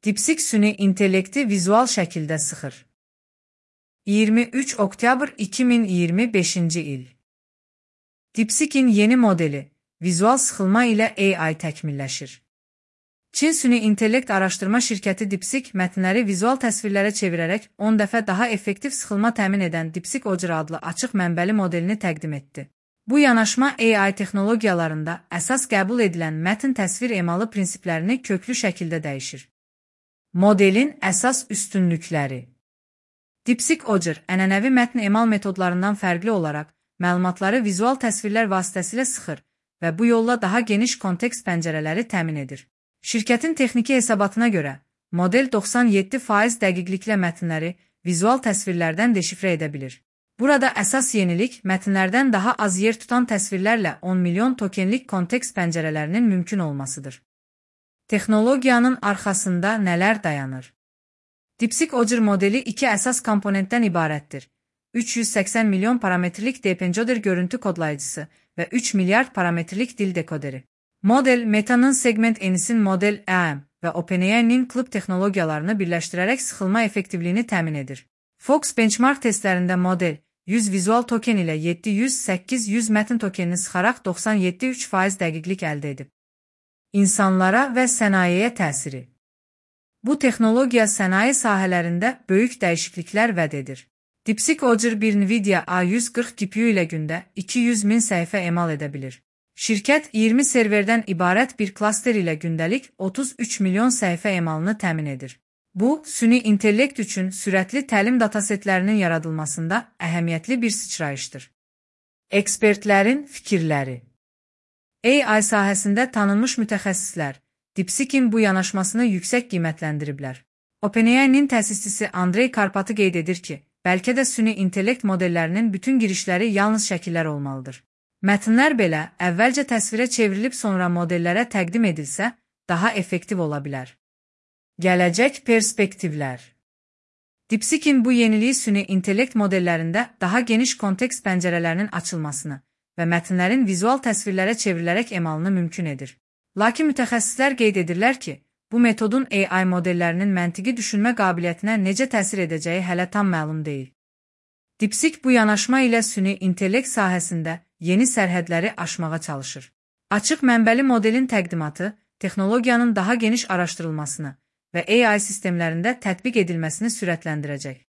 DeepSeek süni intellekti vizual şəkildə sıxır. 23 oktyabr 2025-ci il. DeepSeek'in yeni modeli, vizual sıxılma ilə AI təkmilləşir. Çin süni intellekt araşdırma şirkəti DeepSeek mətnləri vizual təsvirlərə çevirərək 10 dəfə daha effektiv sıxılma təmin edən DeepSeek Ocer adlı açıq mənbəli modelini təqdim etdi. Bu yanaşma AI texnologiyalarında əsas qəbul edilən mətn təsvir emalı prinsiplərini köklü şəkildə dəyişir. Modelin əsas üstünlükləri. DeepSeek Ocer ənənəvi mətn emal metodlarından fərqli olaraq məlumatları vizual təsvirlər vasitəsilə sıxır və bu yolla daha geniş kontekst pəncərələri təmin edir. Şirkətin texniki hesabatına görə, model 97% dəqiqliklə mətnləri vizual təsvirlərdən deşifrə edə bilir. Burada əsas yenilik mətnlərdən daha az yer tutan təsvirlərlə 10 milyon tokenlik kontekst pəncərələrinin mümkün olmasıdır. Texnologiyanın arxasında nələr dayanır? DeepSeek Ocer modeli iki əsas komponentdən ibarətdir. 380 milyon parametrlik DeepEncoder görüntü kodlayıcısı və 3 milyard parametrlik dil dekoderi. Model, Meta'nın Segment Enisin model AM və OpenAI'nin Club texnologiyalarını birləşdirərək sıxılma effektivliyini təmin edir. Fox benchmark testlərində model 100 vizual token ilə 700-800 mətn tokenini sıxaraq 97,3% dəqiqlik əldə edib. İnsanlara və sənayeyə təsiri. Bu texnologiya sənaye sahələrində böyük dəyişikliklər vəd edir. DeepSeek Ocer bir NVIDIA A140 GPU ilə gündə 200.000 səhifə emal edə bilir. Şirkət 20 serverdən ibarət bir klaster ilə gündəlik 33 milyon səhifə emalını təmin edir. Bu, süni intellekt üçün sürətli təlim datasetlərinin yaradılmasında əhəmiyyətli bir sıçrayışdır. Ekspertlərin fikirləri. AI sahəsində tanınmış mütəxəssislər DeepSeek'in bu yanaşmasını yüksək qiymətləndiriblər. OpenAI'nin təsisçisi Andrey Karpatı qeyd edir ki, bəlkə də süni intellekt modellərinin bütün girişləri yalnız şəkillər olmalıdır. Mətnlər belə əvvəlcə təsvirə çevrilib sonra modellərə təqdim edilsə, daha effektiv ola bilər. Gələcək perspektivlər. DeepSeek'in bu yeniliyi süni intellekt modellərində daha geniş kontekst pəncərələrinin açılmasını və mətnlərin vizual təsvirlərə çevrilərək emalını mümkün edir. Lakin mütəxəssislər qeyd edirlər ki, bu metodun AI modellərinin məntiqi düşünmə qabiliyyətinə necə təsir edəcəyi hələ tam məlum deyil. DeepSeek bu yanaşma ilə süni intellekt sahəsində yeni sərhədləri aşmağa çalışır. Açıq mənbəli modelin təqdimatı, texnologiyanın daha geniş araşdırılmasını və AI sistemlərində tətbiq edilməsini sürətləndirəcək.